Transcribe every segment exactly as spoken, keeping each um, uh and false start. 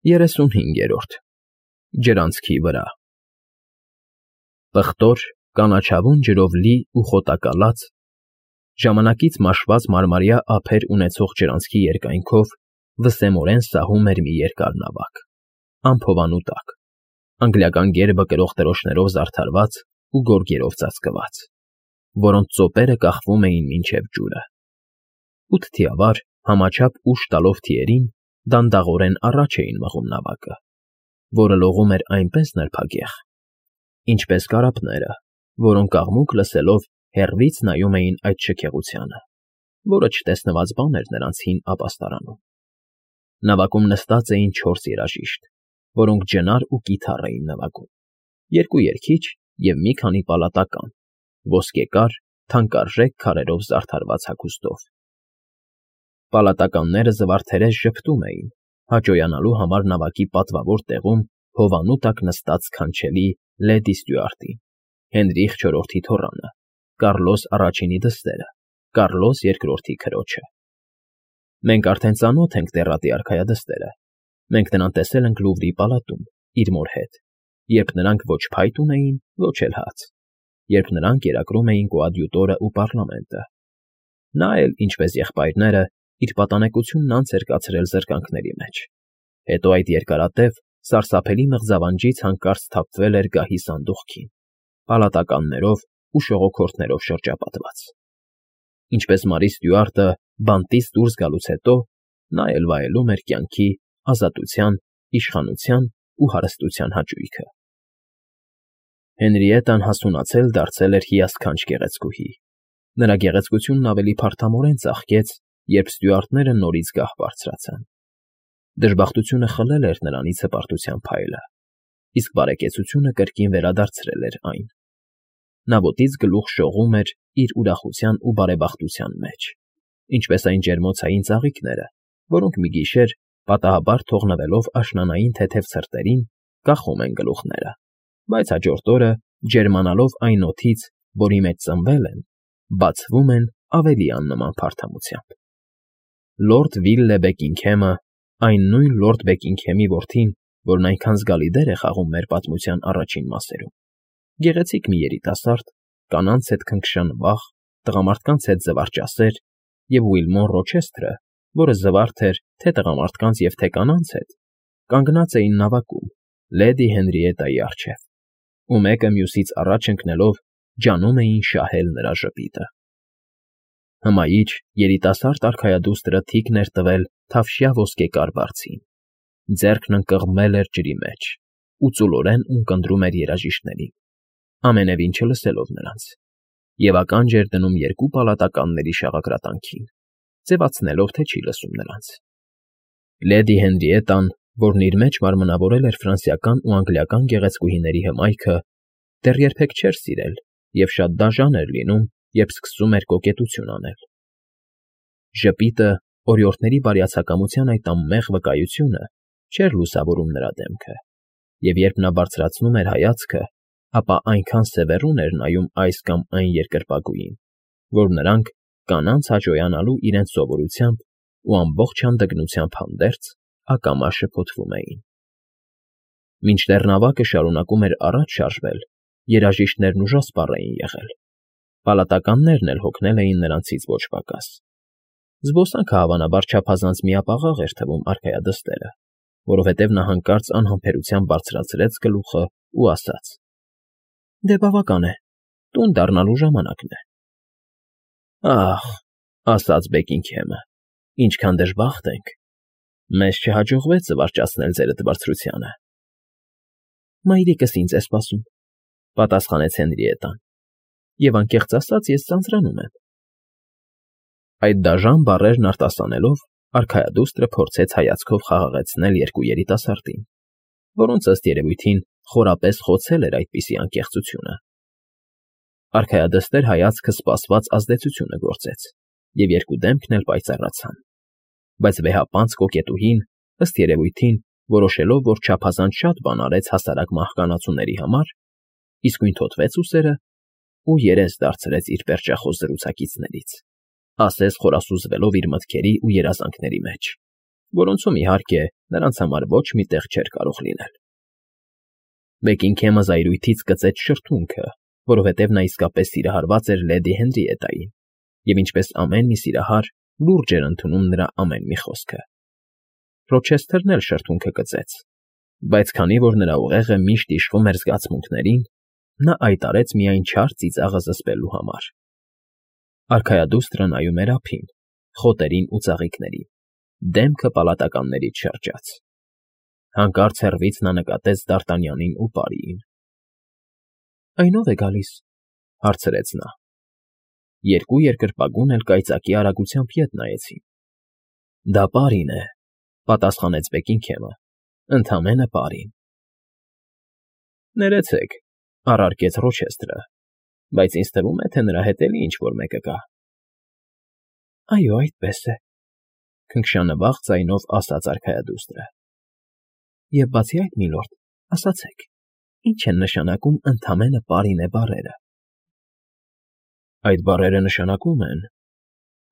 Երեսունհինգերորդ Ջրանցքի վրա Պղտոր, կանաչավուն ջրով լի ու խոտակալած, ժամանակից մաշված մարմարյա ափեր ունեցող ջրանցքի երկայնքով վսեմորեն սահում էր մի երկար նավակ, անփովանու տակ, անգլիական գերբը կրող դրոշներով զարդարված ու գորգերով ծածկված, որոնց ծոպերը կախվում էին մինչև ջուրը։ Ութ թիավար, համաչափ ուժ տալով թիերին դանդաղորեն առաջ էին մղում նավակը, որը լողում էր այնպես նրբագեղ, ինչպես կարապները, որոնք աղմուկ լսելով հեռվից նայում էին այդ շքեղությանը, որը չտեսնված բան էր նրանց հին ապաստարանում։ Նավակում նստած էին չորս երաժիշտ, որոնք ջնար ու կիթառ էին նվագում, երկու երգիչ և մի քանի պալատական, ոսկեկար, թանկարժեք քարերով զարդարված հագուստով։ Պալատականները զվարթերես ժպտում էին, հաճոյանալու համար նավակի պատվավոր տեղում հովանու տակ նստած սքանչելի լեդի Ստյուարտին, Հենրիխ չորրորդի թոռանը, Կառլոս առաջինի դստերը, Կառլոս երկրորդի քրոջը։ Մենք արդեն ծանոթ ենք Տեռատի արքայադստերը, մենք նրան տեսել ենք Լուվրի պալատում, իր մոր հետ, երբ նրանք ոչ փայտ ունեին, ոչ էլ հաց, երբ նրանք կերակրում էին կոադյուտորը ու պառլամենտը։ Նա էլ, ինչպես եղբայրները, իր պատանեկությունն անց էր կացրել զրկանքների մեջ, հետո այդ երկարատև, սարսափելի մղձավանջից հանկարծ սթափվել էր գահի սանդուղքին, պալատականներով ու շողոքորթներով շրջապատված։ Ինչպես Մարի Ստյուարտը բանտից դուրս գալուց հետո, նա էլ վայելում էր կյանքի, ազատության, իշխանության ու հարստության հաճույքը։ Հենրիետան հասունացել դարձել էր հիասքանչ գեղեցկուհի։ Նրա գեղեցկությունն ավելի փարթամորեն ծաղկեց, երբ ստյուարտները նորից գահ բարձրացան։ Դժբախտությունը խլել էր նրանից հպարտության փայլը, իսկ բարեկեցությունը կրկին վերադարձրել էր այն։ Նա ոտից գլուխ շողում էր իր ուրախության ու բարեբախտության մեջ, ինչպես այն ջերմոցային ծաղիկները, որոնք մի գիշեր, պատահաբար թողնվելով աշնանային թեթև ցրտերին, կախում են գլուխները, բայց հաջորդ օրը, ջերմանալով այն օդից, որի մեջ ծնվել են, բացվում են ավելի աննման փարթամությամբ։ Լորդ Վիլլե Բեկինգհեմը, այն նույն լորդ Բեկինգհեմի որդին, որն այնքան զգալի դեր է խաղում մեր պատմության առաջին մասերում, գեղեցիկ մի երիտասարդ, կանանց հետ քնքշանվախ, տղամարդկանց հետ զվարճասեր, և Ուիլմոռ Ռոչեսթրը, որը զվարթ էր թե տղամարդկանց և թե կանանց հետ, կանգնած էին նավակում, լեդի Հենրիետայի առջև, ու մեկը մյուսից առաջ ընկնելով ջանում էին շահել նրա ժպիտը։ Հմայիչ, երիտասարդ արքայադուստրը թիկն էր տվել թավշյա ոսկեկար բարձին, ձեռքն ընկղմել էր ջրի մեջ ու ծուլորեն ունկնդրում էր երաժիշտներին, ամենևին չլսելով նրանց, և ականջ էր դնում երկու պալատականների շաղակրատանքին, ձևացնելով, թե չի լսում նրանց։ Լեդի Հենրիետան, որն իր մեջ մարմնավորել էր ֆրանսիական ու անգլիական գեղեցկուհիների հմայքը, դեռ երբեք չէր սիրել և շատ դաժան էր լինում, երբ սկսում էր կոկետություն անել։ Ժպիտը, օրիորդների բարյացակամության այդ անմեղ վկայությունը չէր լուսավորում նրա դեմքը, և երբ նա բարձրացնում էր հայացքը, ապա այնքան սևեռուն էր նայում այս կամ այն երկրպագուին, որ նրանք, կանանց հաճոյանալու իրենց սովորությամբ ու ամբողջ հանդգնությամբ հանդերձ, ակամա շփոթվում էին։ Մինչդեռ նավակը շարունակում էր առաջ շարժվել, երաժիշտներն ուժասպառ էին եղել, պալատականներն էլ հոգնել էին նրանցից ոչ պակաս։ Զբոսանքը հավանաբար չափազանց միապաղաղ էր թվում արքայադստերը, որովհետև նա հանկարծ անհամբերությամբ բարձրացրեց գլուխը ու ասաց. «Դե բավական է, տուն դառնալու ժամանակն է»։ «Ախ», ասաց Բեկինգհեմը, «ինչքան դժբախտ ենք, մեզ չհաջողվեց զվարճացնել ձերդ բարձրությանը»։ «Մայրիկս ինձ է սպասում», պատասխանեց Հենրիետան, «և անկեղծ ասած, ես ձանձրանում եմ»։ Այդ դաժան բառերն արտասանելով, արքայադուստրը փորձեց հայացքով խաղաղեցնել երկու երիտասարդին, որոնց, ըստ երևույթին, խորապես խոցել էր այդպիսի անկեղծությունը։ Արքայադստեր հայացքը սպասված ազդեցությունը գործեց, և երկու դեմքն էլ պայծառացան, բայց վեհապանծ կոկետուհին, ըստ երևույթին, որոշելով, որ չափազանց շատ բան արեց հասարակ մահկանացուների համար, իսկույն թոթվեց ուսերը ու երես դարձրեց իր պերճախոս զրուցակիցներից, ասես խորասուզվելով իր մտքերի ու երազանքների մեջ, որոնցում, իհարկե, նրանց համար ոչ մի տեղ չէր կարող լինել։ Բեքինգհեմը զայրույթից կծեց շրթունքը, որովհետև նա իսկապես սիրահարված էր Լեդի Հենրիետային, և ինչպես ամեն մի սիրահար, լուրջ էր ընդունում նրա ամեն մի խոսքը։ Ռոչեսթերն էլ շրթունքը կծեց, բայց քանի որ նրա ուղեղը միշտ իշխում էր զգացմունքներին, նա այդ արեց միայն չար ծիծաղը զսպելու համար։ Արքայադուստրը նայում էր ափին, խոտերին ու ծաղիկներին, դեմքը պալատականներից շրջած։ Հանկարծ հեռվից նա նկատեց Դարտանյանին ու Պարիին։ ֊ Այն ո՞վ է գալիս,֊ հարցրեց նա։ Երկու երկրպագուն էլ կայծակի արագությամբ ետ նայեցին։ ֊ Դա Պարին է,֊ պատասխանեց Բեքինգհեմը,֊ ընդամենը Պարին։ ֊ Ներեցեք,֊ առարկեց Ռոչեսթրը,֊ բայց ինձ թվում է, թե նրա հետ էլի ինչ֊որ մեկը կա։ ֊ Այո, այդպես է,֊ քնքշանվաղ ձայնով ասաց արքայադուստրը։ ֊ Եվ բացի այդ, միլորդ, ասացեք, ի՞նչ են նշանակում ընդամենը Պարին է բառերը։ ֊ Այդ բառերը նշանակում են,֊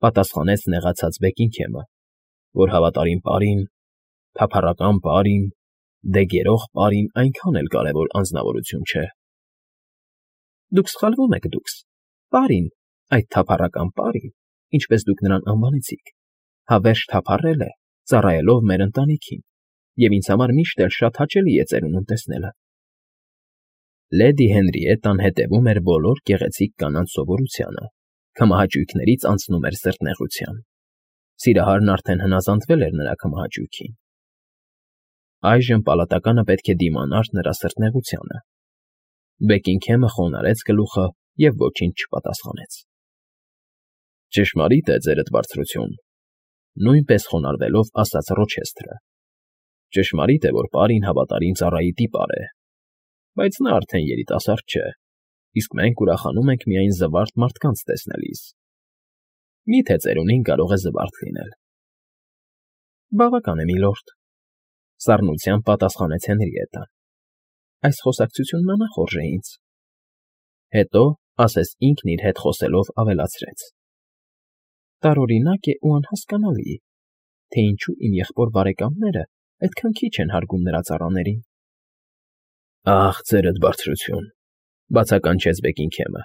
պատասխանեց նեղացած Բեքինգհեմը,֊ որ հավատարիմ Պարին, թափառական Պարին, դեգերող Պարին այնքան էլ կարևոր անձնավորություն չէ։ ֊ Դուք սխալվում եք, դուքս, Պարին, այդ թափառական Պարին, ինչպես դուք նրան անվանեցիք, հավերժ թափառել է, ծառայելով մեր ընտանիքին, և ինձ համար միշտ էլ շատ հաճելի է ծերունուն տեսնելը։ Լեդի Հենրիետան հետևում էր բոլոր գեղեցիկ կանանց սովորությանը, քմահաճույքներից անցնում էր սրտնեղության։ Սիրահարն արդեն հնազանդվել էր նրա քմահաճույքին։ Այժմ պալատականը պետք է դիմանար նրա սրտնեղությանը։ Բեքինգհեմը խոնարհեց գլուխը և ոչինչ չպատասխանեց։ ֊ Ճշմարիտ է, ձերդ բարձրություն,֊ նույնպես խոնարհվելով ասաց Ռոչեսթրը։ ֊ Ճշմարիտ է, որ Պարին հավատարիմ ծառայի տիպար է, բայց նա արդեն երիտասարդ չէ, իսկ մենք ուրախանում ենք միայն զվարթ մարդկանց տեսնելիս։ Մի՞թե ծերունին կարող է զվարթ լինել։ ֊ Բավական է, միլորդ,֊ սառնությամբ պատասխանեց Հենրիետան։ Այս խոսակցությունն անախորժ է ինձ։ Հետո, ասես ինքն իր հետ խոսելով, ավելացրեց. Տարօրինակ է ու անհասկանալի, թե ինչու իմ եղբոր֊բարեկամները այդքան քիչ են հարգում նրա ծառաներին։ ֊ Ախ, ձերդ բարձրություն,֊ բացականչեց Բեքինգհեմը,֊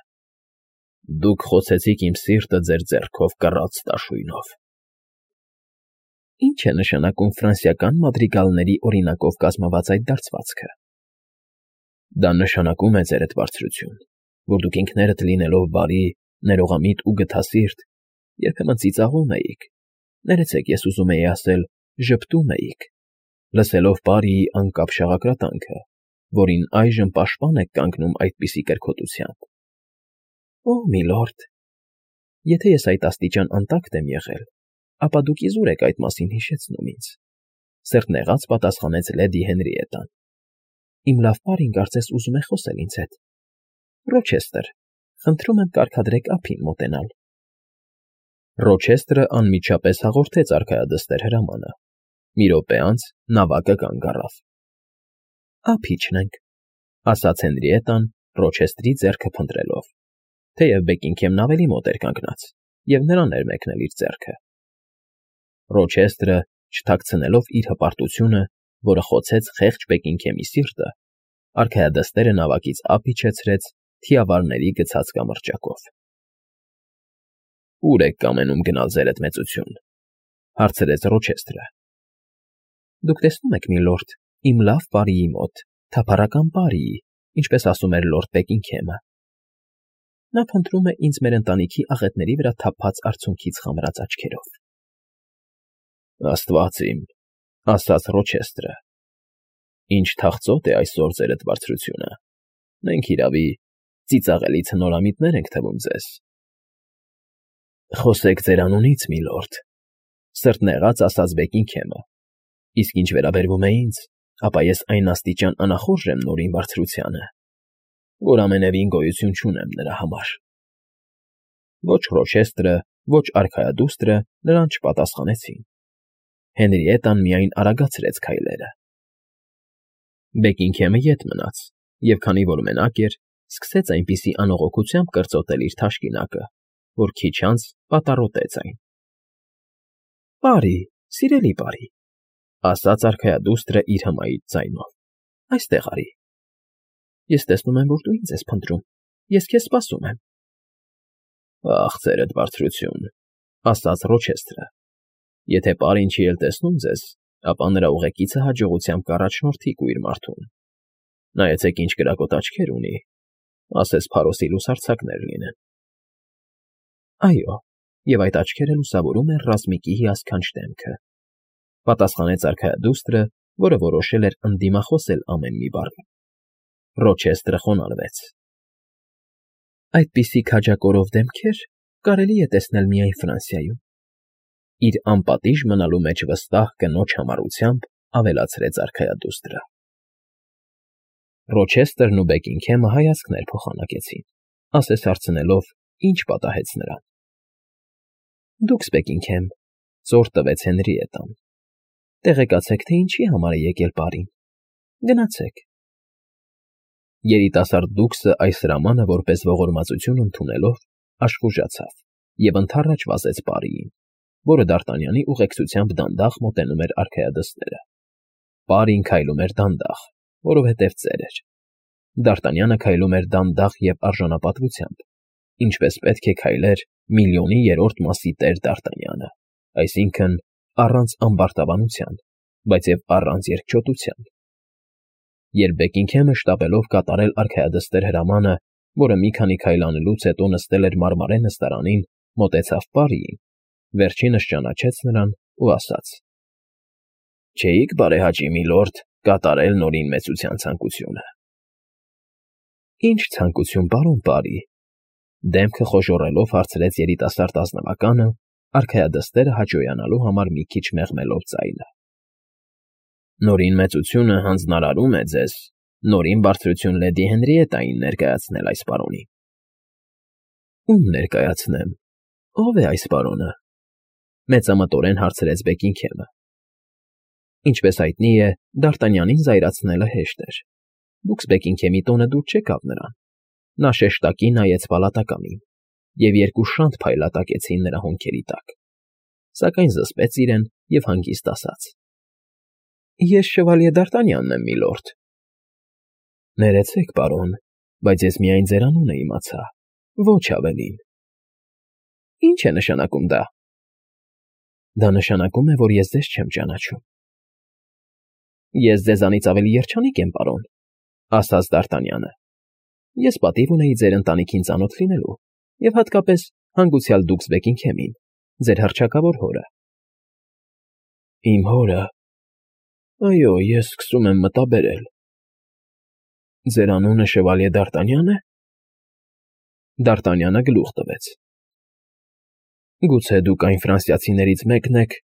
դուք խոցեցիք իմ սիրտը ձեր ձեռքով կռած դաշույնով։ ֊ Ի՞նչ է նշանակում ֆրանսիական մադրիգալների օրինակով կազմված այդ դարձվածքը։ ֊ Դա նշանակում է, ձերդ բարձրություն, որ դուք ինքներդ լինելով բարի, ներողամիտ ու գթասիրտ, երբեմն ծիծաղում էիք, ներեցեք, ես ուզում էի ասել, ժպտում էիք, լսելով Պարիի անկապ շաղակրատանքը, որին այժմ պաշտպան եք կանգնում այդպիսի կրքոտությամբ։ ֊ Օ՜, միլորդ, եթե ես այդ աստիճան անտակտ եմ եղել, ապա դուք իզուր եք այդ մասին հիշեցնում ինձ,֊ սրտնեղած պատասխանեց Լեդի Հենրիետան։ Իմ լավ Պարին կարծես ուզում է խոսել ինձ հետ։ Ռոչեսթր, խնդրում եմ կարգադրեք ափին մոտենալ։ Ռոչեսթրը անմիջապես հաղորդեց արքայադստեր հրամանը։ Մի րոպե անց նավակը կանգ առավ։ ֊ Ափ իջնենք,֊ ասաց Հենրիետան Ռոչեսթրի ձեռքը փնտրելով, թեև Բեքինգհեմն ավելի մոտ էր կանգնած, և նրան էր մեկնել իր ձեռքը։ Ռոչեսթրը, չթաքցնելով իր հպարտությունը, որը խոցեց խեղճ Բեքինգհեմի սիրտը, արքայադստերը նավակից ափ իջեցրեց թիավարների գցած կամրջակով։ ֊ Ո՞ւր եք կամենում գնալ, ձերդ մեծություն,֊ հարցրեց Ռոչեսթրը։ ֊ Դուք տեսնում եք, միլորդ, իմ լավ Պարիի մոտ, թափառական Պարիի, ինչպես ասում էր լորդ Բեքինգհեմը։ Նա փնտրում է ինձ մեր ընտանիքի աղետների վրա թափած արցունքից խամրած աչքերով։ ֊ Աստված իմ,֊ ասաց Ռոչեսթրը,֊ ինչ թախծոտ է այսօր, ձերդ բարձրությունը, մենք, իրավի, ծիծաղելի ցնորամիտներ ենք թվում ձեզ։ ֊ Խոսեք ձեր անունից, միլորդ,֊ սրտնեղած ասաց Բեքինգհեմը,֊ իսկ ինչ վերաբերվում է ինձ, ապա ես այն աստիճան անախորժ եմ Նորին Բարձրությանը, որ ամենևին գոյություն չունեմ նրա համար։ Ոչ Ռոչեսթրը, ոչ արքայադուստրը նրան չպատասխանեցին։ Հենրիետան միայն արագացրեց քայլերը։ Բեքինգհեմը ետ մնաց և, քանի որ մենակ էր, սկսեց այնպիսի անողոքությամբ կրծոտել իր թաշկինակը, որ քիչ անց պատառոտեց այն։ ֊ Պարի, սիրելի Պարի, Ասաց արքայադուստրը իր հմայիչ ձայնով։ Այստեղ արի։ Ես տեսնում եմ, որ դու ինձ ես փնտրում։ Ես քեզ սպասում եմ։ Ախ, ծերդ բարձրություն, ասաց Ռոչեստրը։ Եթե պարին չի էլ տեսնում ձեզ, ապա նրա ուղեկիցը հաջողությամբ կառաջնորդի կույր մարդուն։ Նայեցեք ինչ կրակոտ աչքեր ունի, ասես փարոսի լուսարձակներ լինեն։ Այո, եւ այդ աչքերը լուսավորում են ռազմիկի հիասքանչ դեմքը, պատասխանեց արքայադուստրը, որը որոշել էր ընդդիմախոսել ամեն մի բառին։ Ռոչեստրը խոնարհվեց։ Այդպիսի քաջակորով դեմքեր կարելի է տեսնել միայն Ֆրանսիայում։ Իր անպատիժ մնալու մեջ վստահ կնոջ համառությամբ ավելացրեց արքայադուստրը։ Ռոչեստրն ու Բեկինգհեմը հայացքներ փոխանակեցին, ասես հարցնելով, ինչ պատահեց նրան։ Դուքս, Բեկինգհեմ, ծոր տվեց Հենրիետան։ Տեղեկացեք, թե ինչի համար է եկել պարին։ Գնացեք։ Երիտասարդ դուքսը այս հրամանը որպես ողորմածություն ընդունելով աշխուժացավ և ընդառաջ վազեց պարիին, որը Դարտանյանի ուղեկցությամբ դանդաղ մոտենում էր արքայադստերը։ Պարին քայլում էր դանդաղ, որովհետև ծեր էր։ Դարտանյանը քայլում էր դանդաղ և արժանապատվությամբ, ինչպես պետք է քայլեր միլիոնի երրորդ մասի տեր Դարտանյանը, այսինքն առանց ամբարտավանության, բայց և առանց երկչոտության։ Երբ Բեկինգհեմը շտապելով կատարել արքայադստեր հրամանը, որը մի քանի քայլ անելուց հետո նստել էր մարմարե նստարանին, մոտեցավ պարիին, վերջինս ճանաչեց նրան ու ասաց. Չէիք, բարեհաճի միլորդ, կատարել Նորին մեծության ցանկությունը։ Ինչ ցանկություն, պարոն պարի, դեմքը խոժոռելով հարցրեց երիտասարդ ազնվականը, արքայադստերը հաճոյանալու համար մի քիչ մեղմելով ձայնը։ Նորին մեծությունը հանձնարարում է ձեզ Նորին բարձրություն լեդի Հենրիետային ներկայացնել այս պարոնին։ Ում ներկայացնեմ, ով է այս պարոնը, մեծամտորեն հարցրեց Բեկինգհեմը։ Ինչպես հայտնի է, Դարտանյանին զայրացնելը հեշտ էր։ Դուքս Բեկինգհեմի տոնը դուր չեկավ նրան։ Նա շեշտակի նայեց պալատականին, և երկու շանթ փայլատակեցին նրա հոնքերի տակ, սակայն զսպեց իրեն և հանգիստ ասաց. Ես շվալյե Դարտանյանն եմ, միլորդ։ Ներեցեք, պարոն, բայց ես միայն ձեր անունը իմացա, ոչ ավելին։ Ինչ է նշանակում դա։ Դա նշանակում է, որ ես ձեզ չեմ ճանաչում։ Ես ձեզանից ավելի երջանիկ եմ, պարոն, ասաց Դարտանյանը։ Ես պատիվ ունեի ձեր ընտանիքին ծանոթ լինելու, և հատկապես հանգուցյալ դուքս Բեկինգհեմին, ձեր հռչակավոր հորը։ Իմ հորը։ Այո, ես սկսում եմ մտաբերել։ Ձեր անունը շվալյե Դարտանյա՞ն է։ Դարտանյանը գլուխ տվեց։ Գուցե դուք այն ֆրանսիացիներից մեկն եք,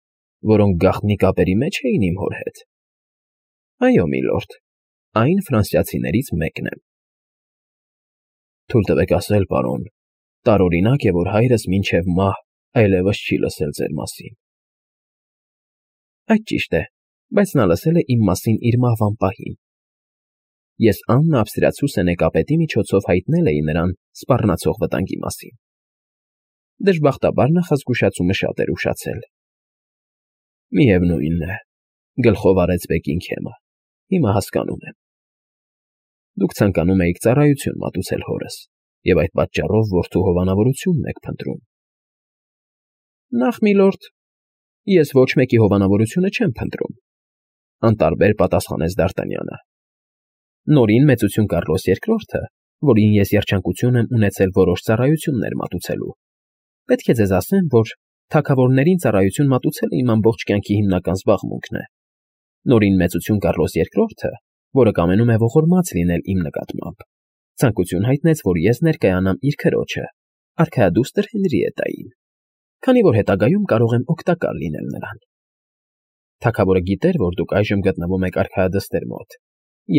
որոնք գաղտնի կապերի մեջ էին իմ հոր հետ։ Այո, միլորդ, այն ֆրանսիացիներից մեկն եմ։ Թույլ տվեք ասել, պարոն, տարօրինակ է, որ հայրս մինչև մահ այլևս չի լսել ձեր մասին։ Այդ ճիշտ է, բայց նա լսել է իմ մասին իր մահվան պահին։ Ես Աննա Ավստրիացու սենեկապետի միջոցով հայտնել էի նրան սպառնացող վտանգի մասին։ Դժբախտաբար նախազգուշացումը շատ էր ուշացել։ Միևնույնն է, գլխով արեց Բեկինգհեմը, հիմա հասկանում եմ։ Դուք ցանկանում էիք ծառայություն մատուցել հորս, և այդ պատճառով որդու հովանավորությունն եք փնտրում։ Նախ, միլորդ, ես ոչ մեկի հովանավորությունը չեմ փնտրում, անտարբեր պատասխանեց Դարտանյանը։ Նորին մեծություն Կառլոս երկրորդը, որին ես երջանկություն եմ ունեցել որոշ ծառայություններ մատուցելու։ Պետք է ձեզ ասեմ, որ թագավորներին ծառայություն մատուցելը իմ ամբողջ կյանքի հիմնական զբաղմունքն է։ Նորին մեծություն Կառլոս երկրորդը, որը կամենում է ողորմած լինել իմ նկատմամբ, ցանկություն հայտնեց, որ ես ներկայանամ իր քրոջը, արքայադուստր Հենրիետային, քանի որ հետագայում կարող եմ օգտակար լինել նրան։ Թագավորը գիտեր, որ դուք այժմ գտնվում եք արքայադստեր մոտ,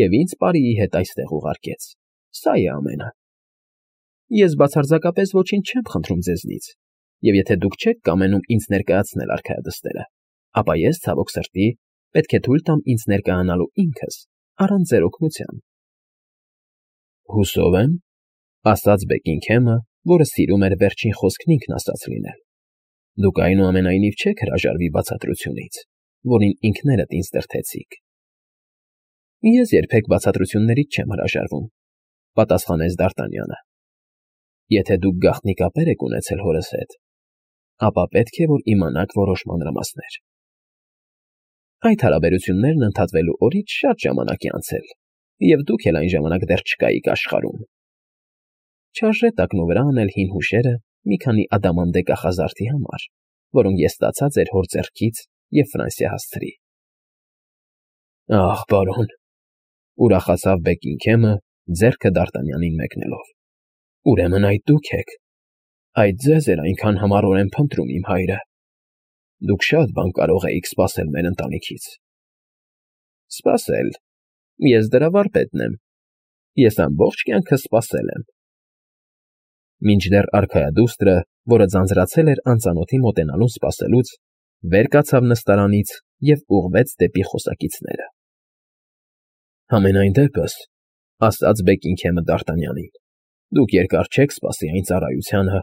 և ինձ պարիի հետ այստեղ ուղարկեց։ Սա է ամենը։ Ես բացարձակապես ոչինչ չեմ խնդրում ձեզնից, և եթե դուք չեք կամենում ինձ ներկայացնել արքայադստերը, ապա ես, ցավոք սրտի, պետք է թույլ տամ ինձ ներկայանալու ինքս, առանց ձեր օգնության։ Հուսով եմ, ասաց Բեկինգհեմը, որը սիրում էր վերջին խոսքն ինքն ասած լինել։ Դուք այնուամենայնիվ չեք հրաժարվի բացատրությունից, որին ինքներդ ինձ դրդեցիք։ Ես երբեք բացատրություններից չեմ հրաժարվում, պատասխանեց Դ'Արտանյանը։ Եթե դուք գաղտնի կապեր եք ունեցել հորս հետ, ապա պետք է որ իմանաք որոշ մանրամասներ։ Այդ հարաբերություններն ընդհատվելու օրից շատ ժամանակ է անցել, և դուք էլ այն ժամանակ դեռ չկայիք աշխարհում։ Չարժե տակնու վրա անել հին հուշերը մի քանի ադամանդե կախազարդի համար, որոնք ես ստացա ձեր հոր ձեռքից և Ֆրանսիա հասցրի։ Ահ, բարոն, ուրախացավ Բեքինգհեմը, ձեռքը Դ'Արտանյանին մեկնելով։ Ուրեմն այդ դուք եք։ Այդ ձեզ էր այնքան համառորեն փնտրում իմ հայրը։ Դուք շատ բան կարող էիք սպասել մեր ընտանիքից։ Սպասել։ Ես դրա վարպետն եմ։ Ես ամբողջ կյանքս սպասել եմ։ Մինչդեռ արքայադուստրը, որը ձանձրացել էր անծանոթի մոտենալուն սպասելուց, վեր կացավ նստարանից և ուղղվեց դեպի խոսակիցները։ Համենայն դեպս, ասաց Բեքինգհեմը Դ'Արտանյանին, դուք երկար չեք սպասի այն ծառայությանը,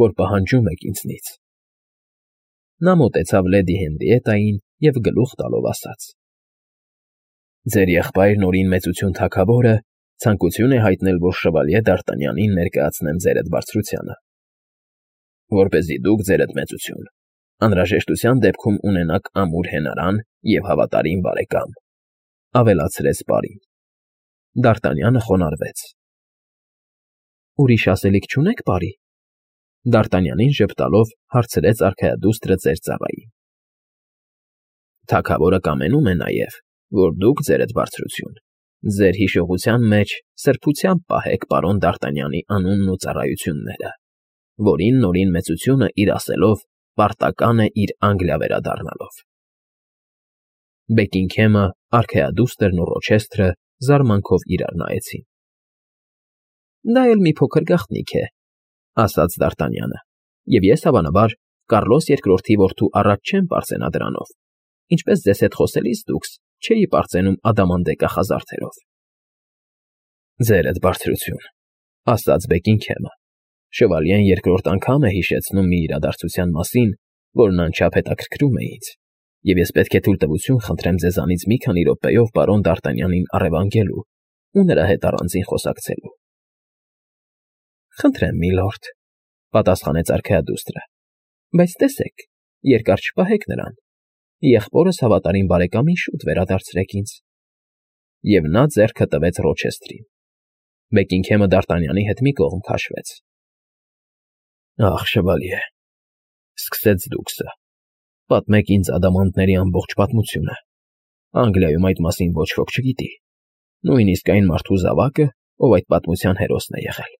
որ պահանջում եք ինձնից։ Նա մոտեցավ լեդի Հենրիետային և գլուխ տալով ասաց. Ձեր եղբայրն օրին մեծություն թագավորը ցանկություն է հայտնել, որ շվալյե Դ'Արտանյանին ներկայացնեմ ձերդ բարձրությանը, որպեսզի դուք ձերդ մեծություն, անհրաժեշտության դեպքում ունենաք ամուր հենարան և հավատարիմ բարեկամ, ավելացրեց պարին։ Դ'Արտանյանը խոնարհվեց։ Ուրիշ ասելիք չունե՞ք, պարի։ Դ'Արտանյանին ժպտալով հարցրեց արքայադուստրը ծեր ծառային։ Թագավորը կամենում է նաև, որ դուք ձերդ բարձրություն, ձեր հիշողության մեջ սրբությամբ պահեք պարոն Դ'Արտանյանի անունն ու ծառայությունները, որին նորին մեծությունը իր ասելով պարտական է իր Անգլիա վերադառնալով։ Բեքինգհեմը, արքայադուստրն ու Ռոչեսթրը զարմանքով իրար նայեցին։ Դա էլ մի փոքր գաղտնիք է, ասաց Դ'Արտանյանը, և ես, հավանաբար, Կառլոս երկրորդի որդու առաջ չեմ պարծենա դրանով, ինչպես ձեզ հետ խոսելիս դուքս չէի պարծենում ադամանդե կախազարդերով։ Ձերդ բարձրություն, ասաց Բեքինգհեմը, շվալյեն երկրորդ անգամ է հիշեցնում մի իրադարձության մասին, որն անչափ հետաքրքրում է ինձ, և ես պետք է թույլտվություն խնդրեմ ձեզանից մի քանի րոպեով պարոն Դ'Արտանյանին առևանգելու ու նրա հետ առանձին խոսակցելու։ Խնդրեմ, միլորդ, պատասխանեց արքայադուստրը, բայց տեսեք, երկար չպահեք նրան, եղբորս հավատարիմ բարեկամին շուտ վերադարձրեք ինձ։ Եվ նա ձեռքը տվեց Ռոչեսթրին։ Բեքինգհեմը Դ'Արտանյանի հետ մի կողմ քաշվեց։ Ախ, շվալյե, սկսեց դուքսը, պատմեք ինձ ադամանդների ամբողջ պատմությունը։ Անգլիայում այդ մասին ոչ ոք չգիտի, նույնիսկ այն մարդու զավակը, ով այդ պատմության հերոսն է եղել։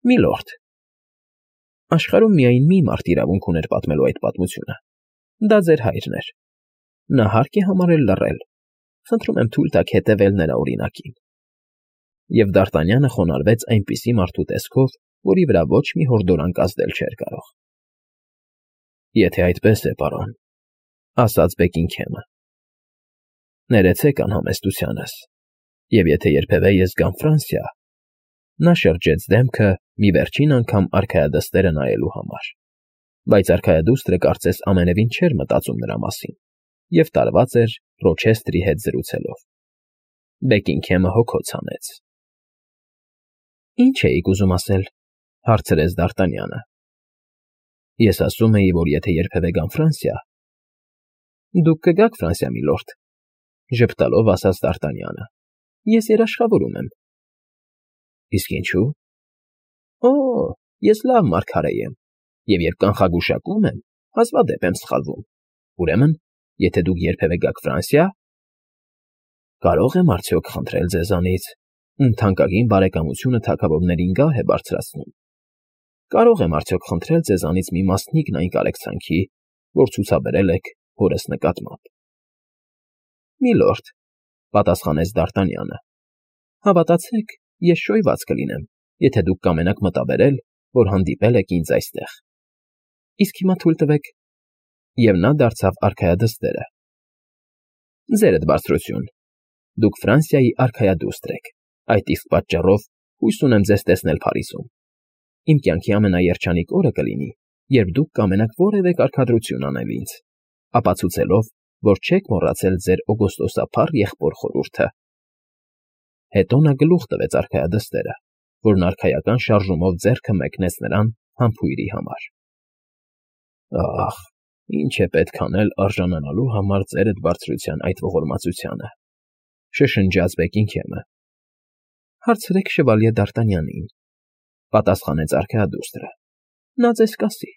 Միլորդ, աշխարհում միայն մի մարդ իրավունք ուներ պատմելու այդ պատմությունը։ Դա ձեր հայրն էր։ Նա հարկ է համարել լռել։ Խնդրում եմ թույլ տաք հետևել նրա օրինակին։ Եվ Դ'Արտանյանը խոնարհվեց այնպիսի մարդու տեսքով, որի վրա ոչ մի հորդորանք ազդել չէր կարող։ Եթե այդպես է, պարոն, ասաց Բեքինգհեմը, ներեցեք անհամեստությանս, և եթե երբևէ ես գամ Ֆրանսիա, նա շրջեց դեմքը մի վերջին անգամ արքայադստերը նայելու համար, բայց արքայադուստրը կարծես ամենևին չէր մտածում նրա մասին և տարված էր Ռոչեսթրի հետ զրուցելով։ Բեքինգհեմը հոգոց հանեց։ Ինչ էիք ուզում ասել, հարցրեց Դ'Արտանյանը։ Ես ասում էի, որ եթե երբևէ գամ Ֆրանսիա… Դուք կգաք Ֆրանսիա, միլորդ, ժպտալով ասաց Դ'Արտանյանը։ Ես երաշխավորում եմ։ Իսկ ինչու։ Օ, ես լավ մարգարե եմ, և երբ կանխագուշակում եմ, հազվադեպ եմ սխալվում։ Ուրեմն, եթե դուք երբևէ գաք Ֆրանսիա… Կարող եմ արդյոք խնդրել ձեզանից, ում թանկագին բարեկամությունը թագավորներին գահ է բարձրացնում… Կարող եմ արդյոք խնդրել ձեզանից մի մասնիկն այն կարեկցանքի, որ ցուցաբերել եք հորս նկատմամբ։ Միլորդ, պատասխանեց Դ'Արտանյանը, հավատացեք, ես շոյված կլինեմ, եթե դուք կամենաք մտաբերել, որ հանդիպել եք ինձ այստեղ։ Իսկ հիմա թույլ տվեք… Եվ նա դարձավ արքայադստերը։ Ձերդ բարձրություն, դուք Ֆրանսիայի արքայադուստր եք, այդ իսկ պատճառով հույս ունեմ ձեզ տեսնել Փարիզում։ Իմ կյանքի ամենաերջանիկ օրը կլինի, երբ դուք կամենաք որևէ կարգադրություն անել ինձ, ապացուցելով, որ չեք մոռացել ձեր օգոստոսափառ եղբոր խորհուրդը։ Հետո նա գլուխ տվեց արքայադստերը, որն արքայական շարժումով ձեռքը մեկնեց նրան համբույրի համար։ Ախ, ինչ է պետք անել արժանանալու համար ձերդ բարձրության այդ ողորմածությանը, շշնջաց Բեքինգեմը։ Հարցրեք շվալյե Դ'Արտանյանին, պատասխանեց արքայադուստրը, նա ձեզ կասի։